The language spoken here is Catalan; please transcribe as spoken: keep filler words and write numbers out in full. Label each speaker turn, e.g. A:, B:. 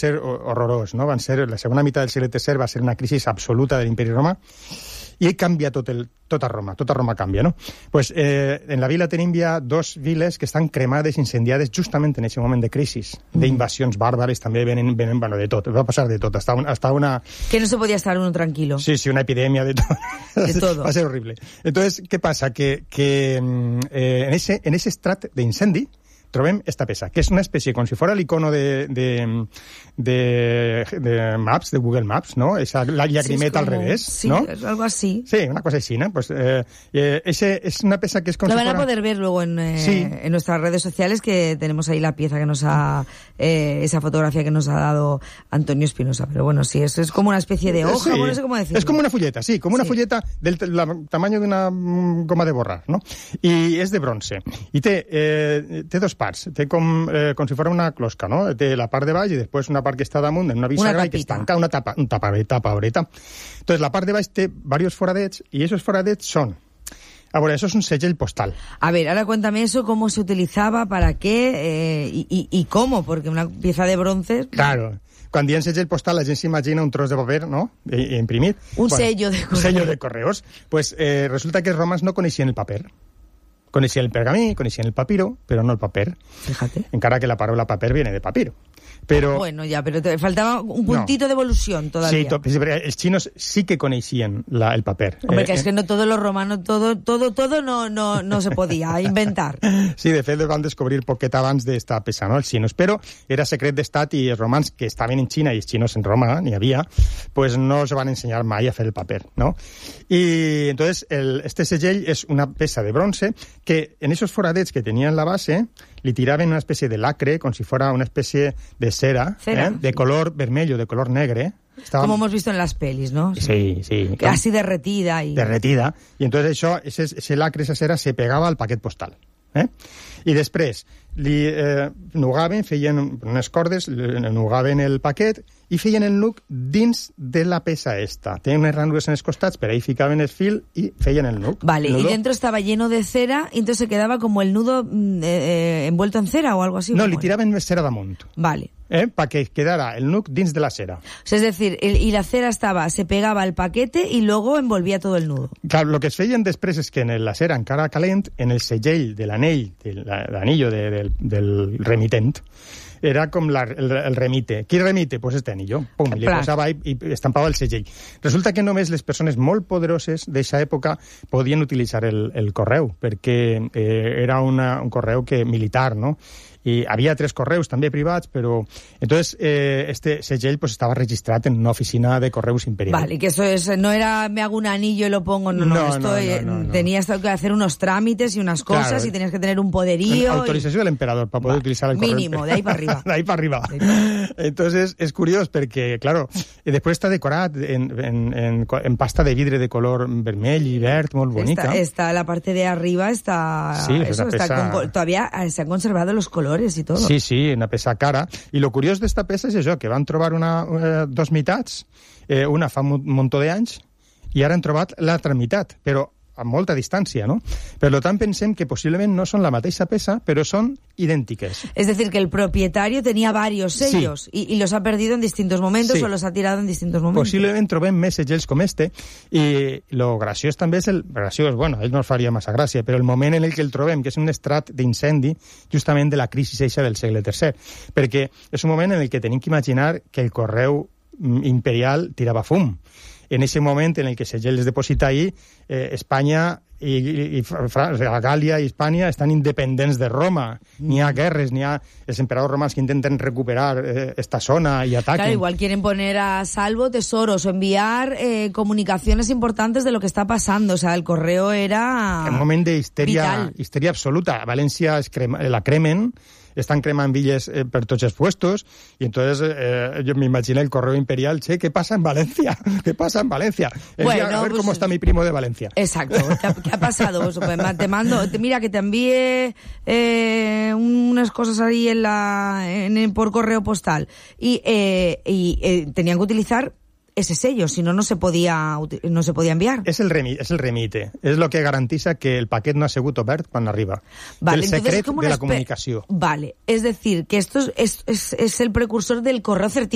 A: ser horrorós, no? Van ser, la segona meitat del segle tercer va ser una crisi absoluta de l'imperi romà, i ell canvia tot el, tota Roma, tota Roma canvia, no? Pues, eh, en la vila tenim ja dos viles que estan cremades, incendiades justament en aquest moment de crisi, mm. d'invasions bàrbares, també venen, venen, bueno, de tot, va passar de tot, hasta, un, hasta una...
B: Que no se podía estar uno tranquilo.
A: Sí, sí, una epidemia de todo.
B: De todo.
A: Va a ser horrible. Entonces, ¿qué pasa? Que, que eh, en, ese, en ese estrat d'incendi trobem esta peça, que és una espècie, com si fora l'icono de, de, de, de Maps, de Google Maps, ¿no? Esa, la llagrimeta sí, al revés,
B: sí,
A: ¿no?
B: Sí, algo así.
A: Sí, una cosa así, ¿no? Pues eh, eh, ese es una peça que es como
B: Lo
A: si
B: van
A: fuera...
B: a poder ver luego en, eh,
A: sí.
B: en nuestras redes sociales, que tenemos ahí la pieza que nos ha... Eh, esa fotografía que nos ha dado Antonio Espinosa. Pero bueno, sí, eso es como una especie de hoja, sí. No sé cómo decirlo.
A: Es como una fulleta, sí, como una sí. fulleta del la, tamaño de una goma de borrar, ¿no? I és de bronze. I té, eh, té dos parts. Té com Eh, com si fos una closca, no? Té la part de baix i després una part que està damunt en una bisagra i que es tanca, una tapa, un tapareta, tapareta. Entonces, la part de baix té varios foradets i esos foradets són... A ver, eso es un segell postal.
B: A ver, ahora cuéntame eso, cómo se utilizaba, para qué eh, y, y, y cómo, porque una pieza de bronce...
A: Claro. Quan diem segell postal, la gent s'imagina un tros de paper, no?, imprimit.
B: Un
A: Quan,
B: sello de correos.
A: Un sello de correos. Pues eh, resulta que els romans no coneixien el paper. Coneixien el pergamí, coneixien el papiro, però no el paper.
B: Fíjate.
A: Encara que la paraula paper viene de papiro. Pero,
B: bueno, ya, pero te faltaba un puntito no. de evolución todavía.
A: Sí, to, els chinos sí que coneixien la, el paper.
B: Hombre,
A: eh,
B: que es que no todo lo romano, todo, todo, todo no, no, no se podía inventar.
A: Sí, de fet, van descobrir poquet abans d'esta peça, no?, els xinos, però era secret d'estat i els romans que estaven en Xina i els xinos en Roma, n'hi havia, pues no se van ensenyar mai a fer el paper, no? I entonces el, este segell és una peça de bronze que en esos foradets que tenien la base li tiraven una espècie de lacre, com si fora una espècie de cera,
B: cera.
A: Eh, de color vermelho, de color negre. Estaba...
B: Como hemos visto en las pelis, ¿no?
A: Sí, sí.
B: Que así derretida. Y...
A: Derretida. I entonces això, ese, ese lacre, esa cera, se pegava al paquet postal. Eh? I després li eh, nugaven, feien unes cordes, nugaven el paquet i feien el nuc dins de la peça esta. Tenien unes ranures en els costats, per ahí ficaven el fil i feien el nuc.
B: Vale,
A: el
B: y dentro estaba lleno de cera y entonces se quedaba como el nudo eh, eh, envuelto en cera o algo así.
A: No, li tiraven més cera damunt.
B: Vale.
A: Eh, para que quedara el nuc dins de la cera.
B: O sea, es decir, el, y la cera estaba, se pegaba al paquete y luego envolvía todo el nudo.
A: Claro, lo que es feien després és que en la cera encara calent, en el segell de l'anell, de l'anillo de, del, del remitent, era com la, el, el remite. Qui remite? Pues este anillo. Pum, li posava i, i estampava el segell. Resulta que només les persones molt poderoses d'aquesta època podien utilitzar el, el correu, perquè eh, era una, un correu que militar, no? Y había tres correos también privats, pero entonces eh, este segell pues estaba registrado en una oficina de correos imperial.
B: Vale, que eso es, no era me hago un anillo y lo pongo, no, no, no esto
A: no,
B: eh,
A: no, no,
B: tenías que hacer unos trámites y unas cosas, claro, y tenías que tener un poderío.
A: Autorización y... del emperador para poder vale, utilizar el correo.
B: Mínimo, de ahí para arriba.
A: de ahí para arriba. Entonces es curioso porque, claro, después está decorat en, en, en, en pasta de vidre de color vermell y verd, muy bonita.
B: Está, está la parte de arriba, está,
A: sí,
B: eso, está
A: pesa...
B: con, todavía se han conservado los colores y todo.
A: Sí, sí, una peça cara. I lo curiós d'esta peça és això, que van trobar una, eh, dos meitats, eh, una fa un muntó d'anys, i ara han trobat l'altra meitat, però a molta distància, ¿no? Per tant, pensem que possiblement no són la mateixa peça, però són idèntiques.
B: Es decir, que el propietario tenía varios sellos, sí, y, y los ha perdido en distintos momentos, sí, o los ha tirado en distintos momentos.
A: Possiblement trobem més segells com este, i lo graciós també és el... Graciós, bueno, a ell no els faria massa gràcia, però el moment en el que el trobem, que és un estrat d'incendi justament de la crisi eixa del segle tercer, perquè és un moment en el que tenim que imaginar que el correu imperial tirava fum. En ese moment en el que Segell es deposita ahí, eh, Espanya i, i, i França, Gàlia i Hispània estan independents de Roma. N'hi ha guerres, n'hi ha els emperadors romans que intenten recuperar eh, esta zona i ataquen.
B: Claro, igual quieren poner a salvo tesoros o enviar eh, comunicaciones importantes de lo que está pasando. O sea, el correo era
A: un moment de histeria, histeria absoluta. A València es crema, la cremen, están cremant villes eh, per tots els puestos, y entonces eh, yo me imaginé el correo imperial, che, ¿qué pasa en Valencia? ¿Qué pasa en Valencia?
B: Bueno,
A: a ver
B: pues,
A: cómo está mi primo de Valencia.
B: Exacto. ¿Qué ha, qué ha pasado? Pues, te mando, te, mira, que te envíe eh, unas cosas ahí en la, en, por correo postal. Y, eh, y eh, tenían que utilizar ese sello, si no, no se podía, no se podía enviar.
A: Es el, remi, es el remite, es lo que garantiza que el paquet no ha sigut obert quan arriba.
B: Vale,
A: el secret
B: entonces,
A: de la comunicació.
B: Vale, es decir, que esto es, es, es, es el precursor del correo certificado.